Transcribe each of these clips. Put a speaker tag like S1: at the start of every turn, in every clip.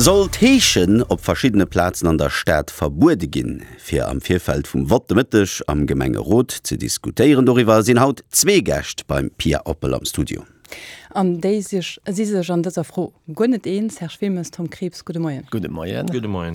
S1: Soll d'Heeschen op verschiddene Plazen an der Stad verbuede ginn? Fir am Virfeld vum Vott de Mëtteg am Gemengerot ze diskutéieren doriwwer, sinn haut zwee Gäscht beim Pia Oppel am Studio.
S2: An déi si sech an dëser Fro guer net eens. Serge Wilmes, Tom Krieps, gudde Moien.
S3: Gudde Moien.
S4: Gudde Moien.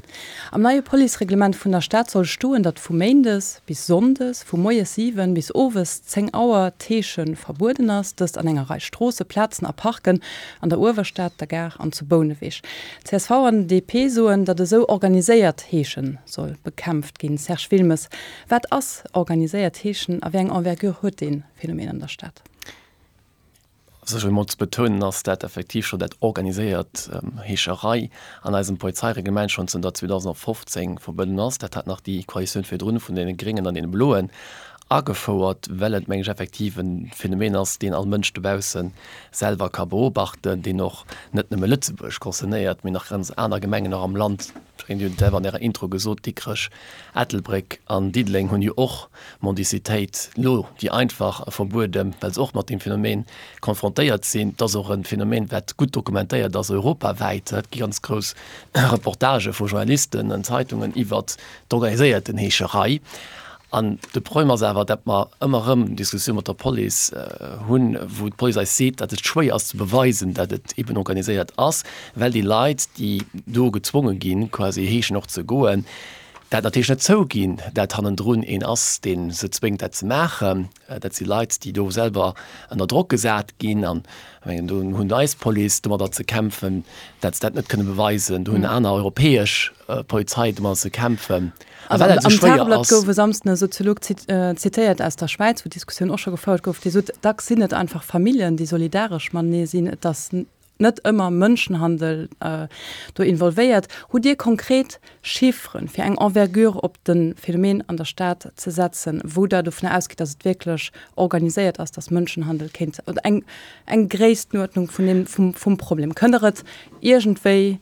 S2: Am neie Policereglement vun der Stad soll stoen, datt vu méindes bis sonndes vu moies 7 bis owes 10 Auer d'Heesche verbueden ass, dëst an enger Rei Stroosse, Plazen a Parken an der Uewerstad, der Gare an zu Bouneweg. Csv an DP soen, datt esou organiséiert Heesche soll bekämpft ginn. Serge Wilmes, wat ass organiséiert Heeschen a wéi eng Envergure huet dee Phänomen an der Stad?
S3: Sécher emol ze betounen ass, dat effektiv scho dat organiséiert Heescherei an eisem Polizeireglement schonn zënter 2015 verbueden ass. Dat hat nach déi Koalitioun virdrun vun deene Gréngen an deene Bloen agefouert, well et, meng ech, effektiv e Phänomen ass, deen all Mënsch dobausse selwer ka beobachten, deen och net nëmme Lëtzebuerg concernéiert, mee nach ganz aner Gemengen och am Land. Ech mengen, Dir hutt et selwer an Ärer Intro gesot, Dikrech, Ettelbréck an Diddeleng hunn jo och Mendicitéit lo déi einfach verbueden, well se och mat deem Phänomen konfrontéiert sinn. Et ass och e Phänomen, wat gutt dokumentéiert ass europawäit. Et gi ganz grouss Reportagë vu Journalisten an Zeitungen iwwert d'organiséierten Heescherei. An de Problem ass awer, datt mer ëmmer erëm Diskussioun mat der Police hunn, wou d'Police eis seet, datt et schwéier ass ze beweisen, datt et eben organiséiert ass, well déi Leit, déi do gezwonge ginn, quasi heeschen och ze goen, dat natierlech net zouginn, dat hannendrun een ass, dee se zwéngt, dat ze maachen. Dat si Leit, déi do selwer ënner Drock gesat ginn. An ech mengen, do hunn eis Police domadder ze kämpfen, dat se dat net kënne beweisen. Do hunn aner europäesch Polizei domadder ze kämpfen.
S2: A well dat esou schwéier ass. Am Tageblatt gouf e Samsden e Soziolog zitéiert aus der Schwäiz, wou d'Diskussioun och scho gefouert gouf, dee sot, dacks sinn et einfach Familljen, déi solidaresch matenee sinn. Et ass net ëmmer Mënschenhandel do involvéiert. Hutt Dir konkret Chifferen, fir eng Envergure op de Phänomen an der Stad ze setzen, wou Der dovunner ausgitt, datt et wierklech organiséiert ass, datt Mënschenhandel kéint, oder eng, eng Gréisstenuerdnung vun deem, vum, vum Problem? Kënnt Der et iergendwéi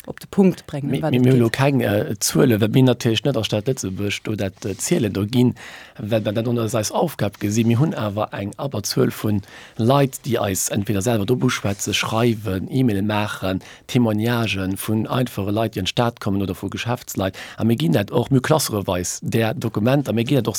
S2: op de Punkt bréngen,
S3: ëm wat et geet? Mir hu lo keng Zuelen, well mir natierlech net als Stad Lëtzebuerg do dat zielen do ginn, well mer dat och net als eis Aufgab gesinn. Mir hunn awer eng Abberzuel vu Leit, déi eis entweder selwer drop uschwätzen, schreiwen, E-Maile maachen, Témoignagen vun einfache Leit, déi an d'Stad kommen oder vu Geschäftsleit. A mir ginn dat och, mir hu klassereweis där Dokumenter, mir ginn dat och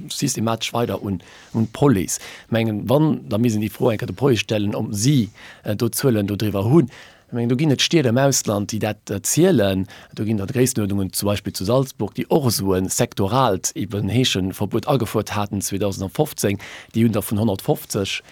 S3: systematesch weider un d'Police. Ech mengen, wann, da misst een déi Fro eng Kéier der Police stellen, ob si do Zuelen dodriwwer hunn. Ech mengen, do ginn et Stied am Ausland, déi dat zielen. Do ginn der Gréisstenuerdnungen, zum Beispill zu Salzburg, déi och esou e sektoraalt eben Heescheverbuet agefuert haten 2015. Déi hunn da vun 150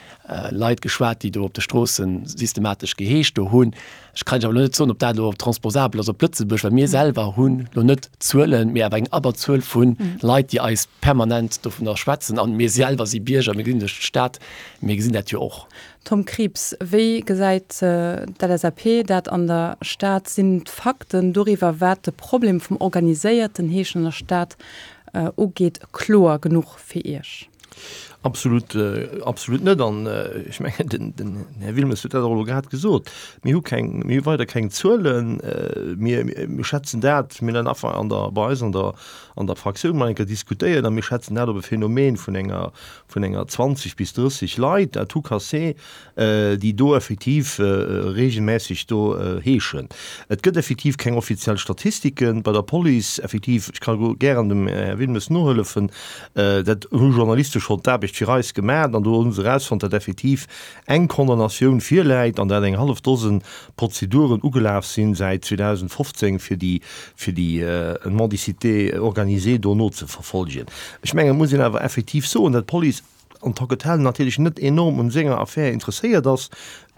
S3: Leit geschwat, déi do op de Stroosse systematesch geheescht do hunn. Ech kann Iech awer elo net soen, ob dat elo transposabel ass op Lëtzebuerg, well mir selwer hunn elo net Zuelen, mee awer eng Abberzuel vu Leit, déi eis permanent dovunner schwätzen. A mir selwer si Bierger, mir gesinn duerch d'Stad, mir gesinn dat jo och.
S2: Tom Krieps, Wéi gesäit d'LSAP dat an der Stad? Sinn d'Fakten doriwwer, wat de Problem vum organiséierten Heeschen an der Stad ugeet, kloer genuch fir Iech?
S4: Absolut, absolut net. An ech mengen, den Här Wilmes huet dat och elo grad gesot, Mir hu keng, mir hu weider keng Zuelen. Mir, mir schätzen dat, mir hunn dat an der, bei eis an der, an der Fraktioun mol eng Kéier diskutéiert a mir schätzen dat op e Phänomen vun enger, vun enger 20 bis 30 Leit à tout casser, déi do effektiv regelmässeg do heeschen. Et gëtt effektiv keng offiziell Statistike bei der Police. Effektiv, ech ka gären dem Här Wilmes nohëllefen, dat hu Journaliste schonn d'Aarbecht fir eis gemaach an do hu se erausfonnt, datt effektiv eng Condamnatioun virläit an dat eng hallef Dosen Prozeduren ugelaf sinn säit 2015, fir déi fir déi Mendicité organisée do nozeverfolgen. Ech mengen, et muss een awer effektiv soen, datt d'Police en tant que telle natierlech net enorm un senger Affär interesséiert ass,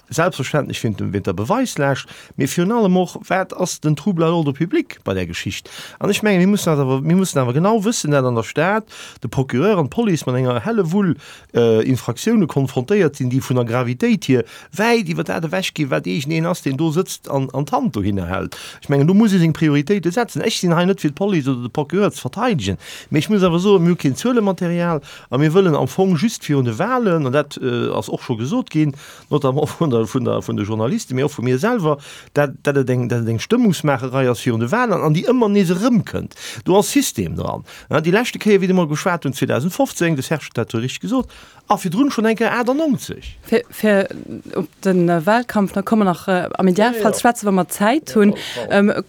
S4: selbstverständlech wéint der Beweislaascht, mee virun allem och, wat ass den Trouble à l'ordre public bei där Geschicht. An ech mengen, mir mussen dat awer, mir mussen awer genau wëssen, dat an der Stad de Procureur an d'Police mat enger Hellewull Infraktioune konfrontéiert sinn, déi vun der Gravitéit hier wäit iwwer dat ewech ginn, wat iergendeen ass, deen do sëtzt an d'Hand dohinner hält. Ech mengen, do muss ee seng Prioritéite setzen. Ech sinn hei net fir d'Police oder de Procureur ze verteidegen, mee ech muss awer soen, mir hu keen Zuelematerial a mir wëllen am Fong just virun de Wahlen, an dat ass och scho gesot ginn, notamment vun der. der, vun der, vun de Journalisten, mee och vu mir selwer, dat, dat et eng, dat et eng Stëmmungsmaacherei ass virun de Wahlen an déi ëmmer nees erëmkënnt. Do ass System dran. Déi leschte Kéier, wéi mer geschwat hunn, 2015, de Serge huet dat jo richteg gesot, a virdrun schonn eng Kéier 98.
S2: Fir, fir op de Wahlkampf, da komme mer nach am Idealfall ze schwätzen, wa mer Zäit hunn.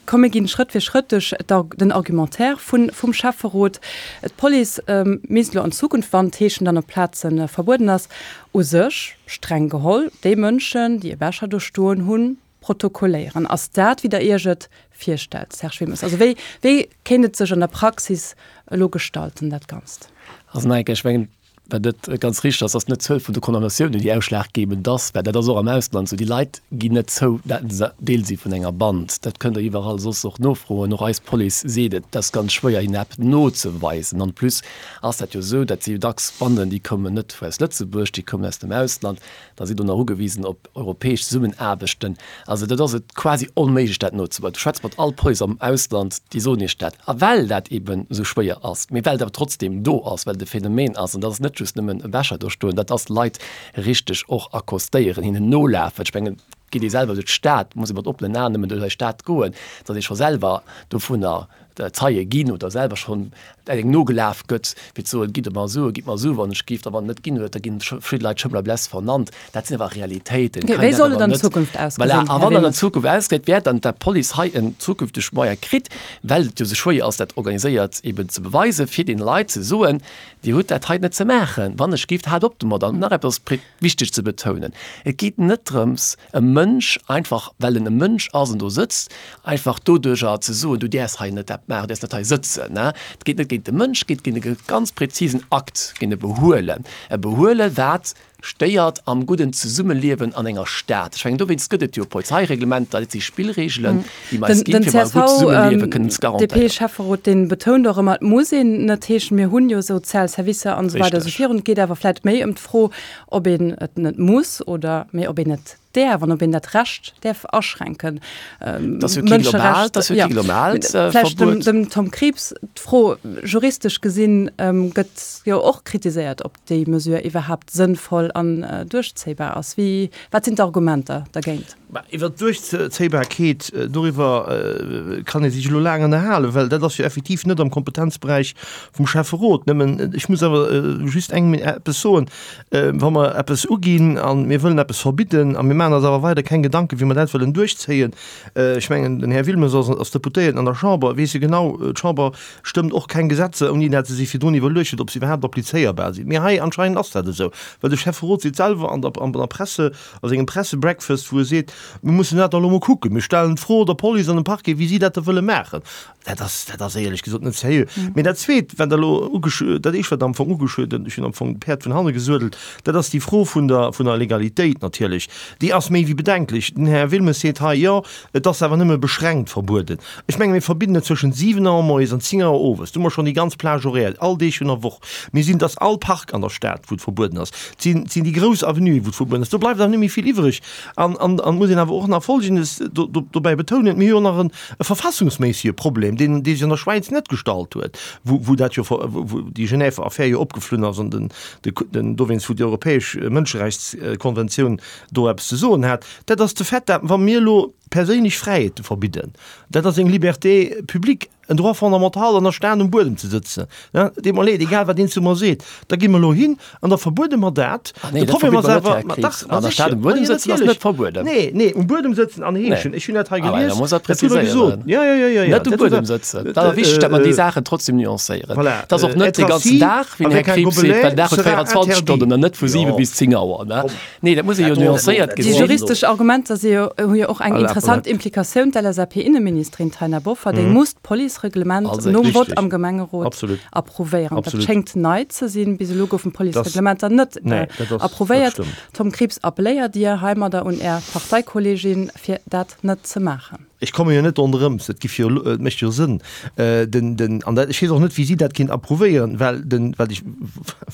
S2: Komm, mir ginn Schrëtt fir Schrëtt duerch den Argumentaire vun, vum Schäfferot. D'Police misst elo an Zukunft, wann d'Heeschen dann op Plaze verbueden ass, u sech, streng geholl, déi Mënschen, déi e Becher do stoen hunn, protokolléieren. Ass dat, wéi Der Iech et virstellt, Serge Wilmes? Also wéi, wéi kéint et sech an der Praxis elo gestalten, dat Ganzt?
S3: Also nach eng Kéier, ech mengen, wat net ganz richteg ass, ass net d'Zuel vun de Condamnatiounen, déi ausschlaggebend ass, well dat ass och am Ausland esou, déi Leit ginn net zou, dat se Deel si vun enger Band. Dat kënnt Der iwwerall soss och nofroen, och eis Police seet et, et ass ganz schwéier, hinnen eppes nozeweisen. En plus ass dat jo esou, dat si jo dacks Banden, déi kommen net aus Lëtzebuerg, déi kommen aus dem Ausland, da si do nach ugewisen op europäesch Zesummenaarbechten. Also dat ass et quasi onméiglech dat nozeweisen. Du schwätz mat all Police am Ausland, déi soen Iech dat. A well dat eben esou schwéier ass, mee well et awer trotzdem do ass, well et e Phänomen ass, an dat ass net just nëmmen e Becher do stoen, dat ass Leit richteg och accostéieren, hinnen nolafen. Ech mengen, et geet ee selwer duerch d'Stad, muss ee mat oppenen Aen nëmmen duerch eis Stad goen, datt ee scho selwer dovunner Zeie ginn oder selwer schonn engem nogelaf gëtt, fir ze soen, gitt mer Sue, gitt mer Sue wann ech giff, a wann en net ginn huet, da ginn verschidde Leit Schëmmel a Bless vernannt. Dat sinn awer Realitéiten.
S2: Okay, wéi soll et an Zukunft ausgesinn,
S3: Här Wilmes? Voilà, a wann et an Zukunft ausgesäit, wäert dann d'Police hei en zukünfteg Moyen kritt, well et jo esou schwéier ass, dat organiséiert eben ze beweisen, fir deene Leit ze soen, Dir hutt dat hei net ze maachen, wann ech giff, haalt op domat. An nach eppes wichteg ze betounen, Et geet net drëms, e Mënsch, einfach well en e Mënsch ass an do sëtzt, einfach doduerjer ze soen, du däerfs hei net dat maachen, du däerfs net hei sëtzen. Et geet net géint de Mënsch, et geet géint e ganz präzisen Akt, géint e Behuelen, e Behuele wat stéiert am gudden Zesummeliewen an enger Stad. Ech mengen, dowéinst gëtt et jo Polizeireglementer, dat si Spillreegelen, déi mer eis ginn, fir mer e gutt Zesummeliewe kënnen ze garantéieren.
S2: Den DP-Schäfferot, dee betount och ëmmer, et muss een net heeschen, mir hunn jo sozial Servicer an esou weider esou virun. Et geet awer vläicht méi ëm d'Fro, ob een et net muss oder mee ob een et däerf an ob een dat Recht däerf aschränken.
S3: Mënscherecht, jo.
S2: Vläicht dem, dem Tom Krieps d'Fro, juristesch gesinn gëtt jo och kritiséiert, ob déi Mesure iwwerhaapt sënnvoll an duerchzéibar ass. Wéi, wat sinn d'Argumenter dergéint?
S4: Bah, iwwer d'Duerchzéibarkeet, doriwwer kann ee sech elo laang ënnerhalen, well dat ass jo effektiv net am Kompetenzberäich vum Schäfferot. Nëmmen, ech muss awer just eng eppes soen, Wa mer eppes uginn a mir wëllen eppes verbidden a mir maachen eis awer weider keng Gedanken, wéi mer dat wëllen duerchzéien, ech mengen, den Här Wilmes ass ass Deputéierten an der Chamber, weess jo genau, d'Chamber stëmmt och keng Gesetzer, ouni dat se sech virdrun iwwerluecht huet, ob se iwwerhaapt applizéierbar sinn. Mee hei anscheinend ass dat esou, well de Schäfferot seet selwer an der an der Presse, a sengem Pressebreakfast, wou e seet, Mir mussen dat da elo mol kucken, mir stellen d'Fro der Police an dem Parquet, wéi si dat da wëlle maachen. Dat ass, dat ass éierlech gesot net seriö. Mee dat Zweet, wat Der elo ugesch-, dat Éischt, wat Der am Fong ugeschwat hutt, ech hunn am Fong d'Päerd vun hanne gesuedelt, dat ass déi Fro vun der, vun der Legalitéit natierlech. Déi ass méi wéi bedenklech. Den Här Wilmes seet hei, jo, et ass awer nëmme beschränkt verbueden. Ech menge mir verbidden et zwëschent 7 Auer moies an 10 Auer owes. Do hu mer schonn déi ganz Plage horaire, all Deeg vun der Woch. Mir sinn, et ass all Park an der Stad, wou et verbueden ass. Et sinn, et sinn déi grouss Avenuen, wou et verbueden ass. Do bleift awer net méi vill iwwreg. An, an, an et muss een awer och nach Folgendes do, do, dobäi betounen, Mir hu jo nach en, e verfassungsméissege Problem, deen, dee sech an der Schwäiz net gestallt huet, wou, wou dat jo, wou, wou déi Genèver Affär jo opgeflunn ass an den, de, den, dowéinst, wou déi Europäesch Mënscherechtskonventioun do eppes ze soen hat. Dat ass de Fait, dat wa mir elo perséinlech Fräiheete verbidden, dat ass eng Liberté publique, en Droit fondamental an der Stad um Buedem ze sëtzen, ne, deet mer leed, egal wat een zu mer seet, da gi mer elo hin an da verbuede mer dat.
S3: Ah nee,
S4: De
S3: dat
S4: Problem
S3: verbitt
S4: ass
S3: mer net,
S4: awer,
S3: Här
S4: ma
S3: Krieps.
S4: dach, ma
S3: An der Stad
S4: sécher,
S3: um
S4: ma
S3: Buedem
S4: jo
S3: sëtzen ass
S4: natierlech.
S3: net verbueden.
S4: Nee, nee, um Buedem sëtzen an
S3: Nee.
S4: heeschen, ech hunn dat hei
S3: Ah well, da
S4: gelies,
S3: muss dat
S4: dat hutt Der gesot.
S3: präziséieren.
S4: Ja, ja, ja, ja, ja,
S3: Net um
S4: dat hutt
S3: Buedem
S4: Der,
S3: sëtzen. Dat ass wichteg, dat mer déi Saachen trotzdem nuancéieren.
S4: Voilà,
S3: Et ass och net
S4: être
S3: de ganzen
S4: assis
S3: Dag, wéi den Här
S4: avec un
S3: Krieps seet, well
S4: gobelet
S3: den Dag huet
S4: sera
S3: 24
S4: interdit.
S3: Stonnen an net vu 7
S4: Jo,
S3: bis 10 Auer, ne?
S4: komm.
S3: Nee, dat muss ee jo nuancéiert
S2: Déi
S3: gesinn.
S2: juristesch Argumenter si jo, hu jo och eng interessant Implikatioun. D'LSAP-Inneministerin Taina Bofferding muss d'Policereglement nom Vott am Gemengerot approuvéieren. Dat schéngt nei ze sinn. Bis elo goufen d'Policereglementer net approuvéiert. Tom Krieps, appelléiert Dir heimadder un Är Parteikolleegin, fir dat net ze maachen?
S4: Ech komme jo net ronderëms, et giff jo, et mécht jo Sënn, den, den, an dat, ech weess och net, wéi si dat kéint approuvéieren, well den, wat ech,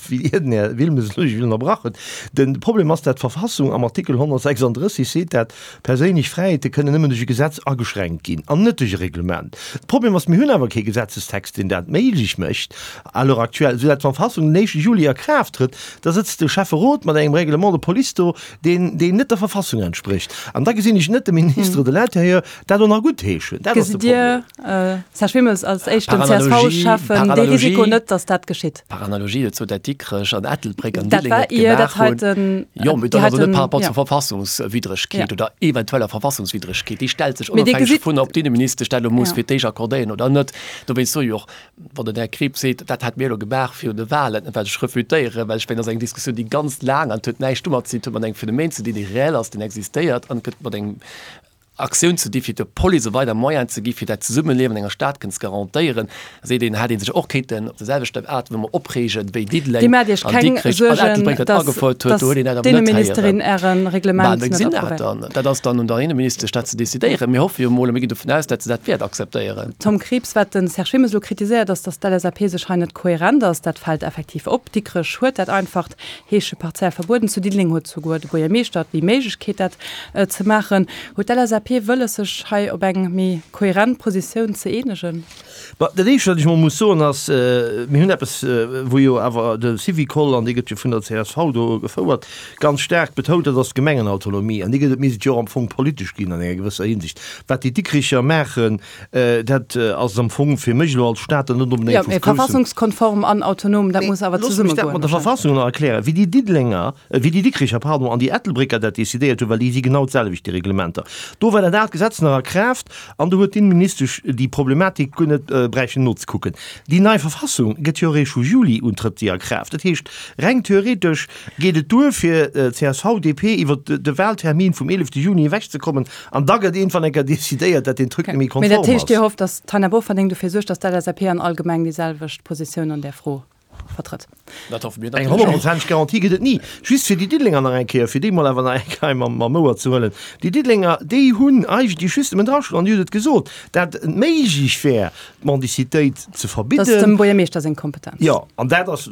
S4: wéi Dir den Här Wilmes elo ech ënnerbrach hutt, den Problem ass, dat d'Verfassung am Artikel 136 seet, dat perséinlech Fräiheete kënnen nëmmen duerch e Gesetz ageschränkt ginn an net duerch e Reglement. De Problem ass, mir hunn awer kee Gesetzestext, deen dat méiglech mécht à l'heure actuelle, soudatt d'Verfassung den éischte Juli a Kraaft trëtt, da sëtzt de Schäfferot mat engem Règlement de police do, deen, deen net der Verfassung entsprécht. An da gesinn ech net de Ministre de l'Intérieur dat och nach guttheeschen.
S2: Dat ass de
S4: Gesitt Dir,
S2: Problem. Serge Wilmes, als éischten CSV-Schäffen dee Risiko net, datt dat geschitt?
S3: Par analogie dozou, dat Dikrech an Ettelbréck an Diddeleng et gemaach hunn. Jo, mee dat ass net par rapport zur Verfassungswiddregkeet oder eventueller Verfassungswiddregkeet. Déi stellt sech onofhängeg dovun, ob d'Inneministesch dat elo muss fir d'éischt accordéieren oder net. Dowéinst soe jo och, Wann den Här Krieps seet, dat hätt mir elo gemaach virun de Wahlen, wat ech refutéieren, well ech mengen, dat ass eng Diskussioun, déi ganz laang an et huet näischt domat ze dinn, et huet mat engem Phänomen ze dinn, dee reell ass, deen existéiert an et gëtt mat engem Aktioun ze dinn, fir der Police e weider Moyen ze gi fir dat Zesummeliewen an enger Stad kënnen ze garantéieren. Da seet een, hätt ee sech och kéinten op der selwechter Aart wéi mer opreegen, wéi Diddeleng
S2: Dir maacht Iech
S3: an
S2: keng
S3: Dikrech an
S2: Suergen,
S3: Ettelbréck dat
S2: dass
S3: agefouert huet, do huet een dat awer net héieren.
S2: d'Inneministerin Äre
S3: Bah,
S2: Reglement
S3: mir
S2: net
S3: gesinn dat
S2: approuvéiert.
S3: dann. Dat ass dann un der Inneministesch, dat ze decidéieren. Mir hoffe jo emol a mir ginn dovun aus, dat se dat wäert akzeptéieren.
S2: Tom Krieps, Wat de Serge Wilmes elo kritiséiert, ass, datt d'LSAP sech hei net kohärent ass. Dat fält effektiv op. Dikrech huet dat einfacht Heesche partiell verbueden. Zu Diddeleng huet souguer de Buergermeeschter déi Méiglechkeet, dat ze maachen. Huet d'LSAP wëlles, sech hei op eng méi kohärent Positioun ze eenegen?
S4: Bah, dat Éischt, wat ech emol muss soen, ass, mir hunn eppes, wou jo awer de Syvicol, an dee gëtt jo vun der csv do gefouert, ganz staark betount, dat ass d'Gemengenautonomie. An déi gëtt et, misst et jo och am Fong politesch ginn an enger gewësser Hinsicht. Wat déi Dikricher maachen, dat ass am Fong fir mech elo als Stater net
S2: onbedéngt
S4: vu
S2: Jo, mee
S4: groussem.
S2: verfassungskonform an autonom, dat muss awer
S4: Looss mech dat
S2: zesummegoen
S4: mat der
S2: wahrscheinlech.
S4: Verfassung nach erklären. Wéi déi Diddelenger, wéi déi Dikricher, pardon, an déi Ettelbrécker dat decidéiert hunn, well déi si genau d'selwecht, déi Reglementer, do war dat aalt Gesetz nach a Kraaft an do huet d'Inneministesch déi Problematik guer net bräichten nozekucken. Déi nei Verfassung gëtt jo eréischt vu Juli un trëtt déi a Kraaft. Dat heescht, reng theoretesch geet et duer fir csv, DP iwwert de Wahltermin vum 11 Juni ewechzekommen an da gëtt iergendwann eng Kéier decidéiert, dat deen Truc net méi
S2: Mee dat
S4: konform
S2: heescht, Dir
S4: ass.
S2: hofft, datt d'Taina Bofferding dofir suergt, datt d'LSAP an all Gemeng déi selwecht Positioun an där Fro vertrëtt?
S3: Dat hoffe mir
S4: Eng
S3: natierlech och.
S4: honnertprozenteg Garantie gëtt et ni. Just fir déi Diddelenger nach eng Kéier, fir déi mol awer nach eng Kéier mam mam Ouer ze huelen, Déi Diddelenger, déi hunn eigentlech just nëmmen drageschloen, an Dir hutt et gesot, dat et méiglech wär, d'Mendicitéit ze
S2: Dat ass
S4: verbidden.
S2: dem Buergermeeschter seng Kompetenz.
S4: Jo, an dat ass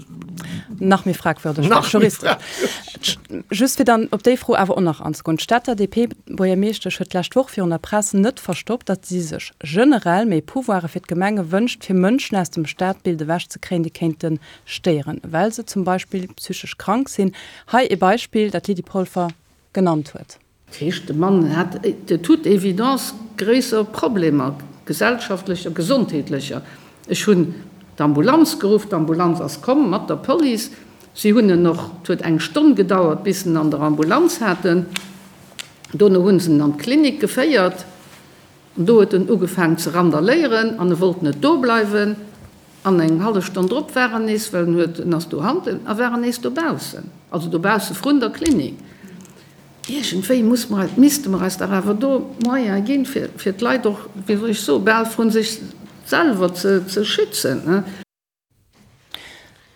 S2: Nach méi fragwürdeg,
S4: nach méi
S2: juristesch.
S4: fragwürdeg.
S2: Just fir dann op déi Fro awer och nach anzegoen, D'Stater DP-Buergermeeschtesch huet d'lescht Woch virun der Press net verstoppt, datt si sech generell méi Pouvoire fir d'Gemenge wënscht, fir Mënschen aus dem Stadbild ewechzekréien, déi kéinte stéieren, well se zum Beispill psychesch krank sinn. Hei ee Beispill, dat d'Lydie Polfer genannt huet.
S5: Dat heescht, de Mann hat de toute évidence gréisser Problemer, gesellschaftlecher, gesondheetlecher. Ech hunn d'Ambulanz geruff, d'Ambulanz ass komm mat der Police. Si hunn en och, et huet eng Stonn gedauert, bis se en an der Ambulanz haten. Dono hu se en an d'Klinik geféiert. An do huet en ugefaang ze randaléieren an e wollt net do bleiwen. An eng hallef Stonn drop war en nees, well en huet, en ass do hanten, a war en nees dobaussen, also dobausse vrun der Klinik. Iergendwéi muss mer eis, misste mer eis dach awer do Moyene ginn, fir, fir d'Leit och, wéi soll ech soen, bal vrun sech selwer ze, ze schützen.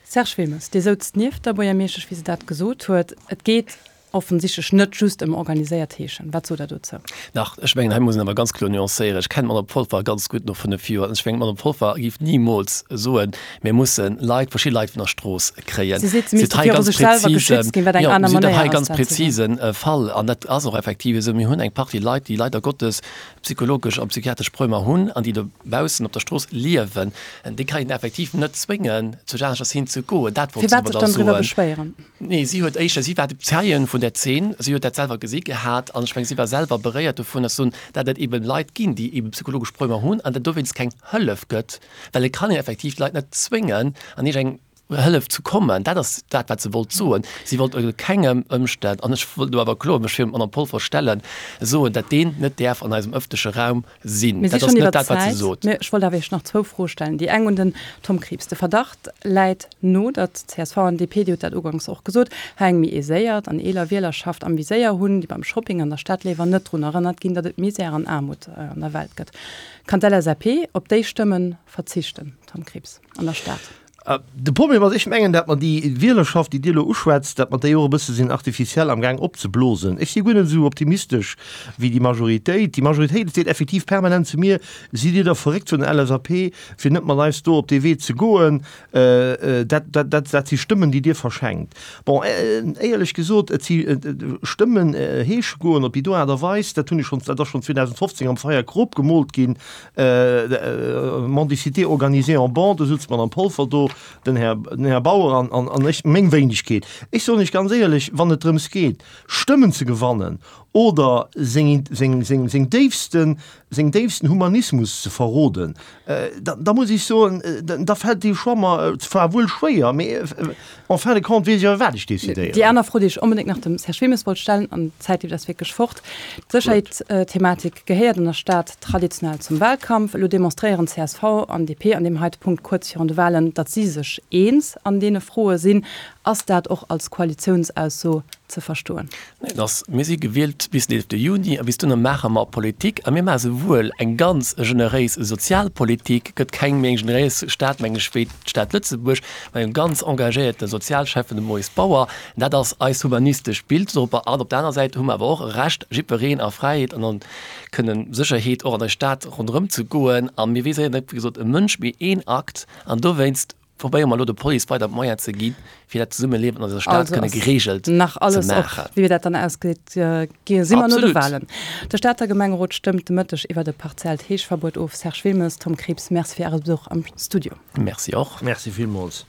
S2: Serge Wilmes, Dir souzt nieft der Buergermeeschtesch, wéi se dat gesot huet. Et geet offensichtlech net just ëm organiséiert Heeschen. Wat sot Der dozou?
S3: Nach, ech mengen, hei muss een awer ganz kloer nuancéieren. Ech kennen d'Madame Polfer ganz gutt no 5 Joer. An ech mengen, d'Madame Polfer géif nimools soen, mir musse Leit, verschidde Leit vun der Strooss kréien.
S2: Si seet, se misste viru sech selwer geschützt ginn, wat eng aner
S3: Jo, si huet
S2: Manéier
S3: hei
S2: ass,
S3: ganz
S2: dat ze soen.
S3: prezise Fall. An dat ass och effektiv esou. Mir hunn eng Partie Leit, déi leider Gottes psychologesch a psychiatresch Problemer hunn an déi dobaussen op der Strooss liewen, déi kann een effektiv net zwéngen, zu aneschters hin ze goen. Dat wollt si
S2: Firwat sech
S3: domadder
S2: dann driwwer
S3: soen.
S2: beschwéieren?
S3: Nee, si huet éischter, si war Zeien vun där Zeen, si huet dat selwer gesi gehat an ech mengen, si war selwer beréiert dovun, dass soen, dat et eben Leit ginn, déi eben psychologesch Problemer hunn an dat dowéinst keng Hëllef gëtt, well et kann een effektiv d'Leit net zwéngen an iergend eng Hëllef ze kommen. Dat ass dat, wat se wollt soen. Si wollt ënner kengem Ëmstänn, an ech wëll do awer kloer mech virum Madame Polfer stellen, soen, dat deen net däerf an eisem ëffentleche Raum sinn.
S2: Mir si
S3: Dat ass
S2: schonn
S3: net
S2: iwwer
S3: dat, wat se
S2: d'Zäit,
S3: sot.
S2: mä ech wollt awer Iech nach zwou Froe stellen. Déi eng un den Tom Krieps. De Verdacht läit no, datt csv an DP, Dir hutt dat uganks och gesot, hei eng méi aiséiert an eeler Wielerschaft am Viséier hunn, déi beim Shopping an der Stad léiwer net drun erënnert ginn, datt et Misär an Aarmut an der Welt gëtt. Kann d'LSAP op déi Stëmme verzichten, Tom Krieps, an der Stad?
S4: De Problem ass, ech mengen, dat mer déi Wielerschaft, déi Dir elo uschwätzt, dat mer déi och e bësse sinn artificiell amgaang opzeblosen. Ech si guer net esou optimistesch wéi déi Majoritéit. Déi Majoritéit seet effektiv permanent zu mir, Sidd Dir da verréckt vun der LSAP, fir net mat eis do op dee Wee ze goen? Dat, dat, dat, dat si Stëmmen, déi Dir verschenkt. Bon, éierlech gesot, et si Stëmmen heesche goen op déi do Aart a Weis, dat hunn ech schonn, dat ass schonn 2015 am Feier krop gemoolt ginn, Mendicité organisée en bande, do sutze d'Madame Polfer do, den Här, den Här Bauer an, an, an ech, meng Wéinegkeet. Ech soen Iech ganz éierlech, wann et drëms geet, Stëmmen ze gewannen oder seng, seng, seng, seng déifsten, seng déifsten Humanismus ze verroden, da, da muss ech soen, da fält dee Choix mer zwar wuel schwéier, mee en fin de compte weess ech awer, wat ech decidéieren.
S2: Déi aner Fro, déi ech onbedéngt nach dem Serge Wilmes wollt stellen, an d'Zäit leeft eis wierklech fort, D'Sécherheetsthematik gehéiert an der Stad traditionell zum Wahlkampf. Elo demonstréieren csv an DP an deem heite Punkt kuerz virun de Wahlen, datt si sech eens an deene Froe sinn. Ass dat och als Koalitiounsausso ze verstoen?
S3: Nee, et ass, mir si gewielt bis den 11 Juni a bis dohinner maache mer Politik a mir maache souwuel eng ganz generéis Sozialpolitik, gëtt keng méi eng generéis Stad, meng ech, wéi d'Stad Lëtzebuerg, mat engem ganz engagéierte Sozialschäffen, dem Maurice Bauer. Dat ass eist humanistescht Bild dorobber. An op der aner Säit hu mer awer och e Recht, jiddwereen a Fräiheet an an kënnen Sécherheet och an der Stad ronderëm ze goen. A mir viséieren net, wéi gesot, e Mënsch, mee een Akt. An dowéinst probéiere mer elo der Police weider d'Moyen ze ginn, fir dat Zesummeliewen an eiser Stad kënne gereegelt ze maachen.
S2: Nach alles op, wéi dat dann ausgeet, si mer no de Wahlen. De Stater Gemengerot stëmmt de Mëtteg iwwert e partiellt Heeschverbuet of. Serge Wilmes, Tom Krieps, Merci fir Äre Besuch am Studio.
S3: Merci och.
S4: Merci villmools.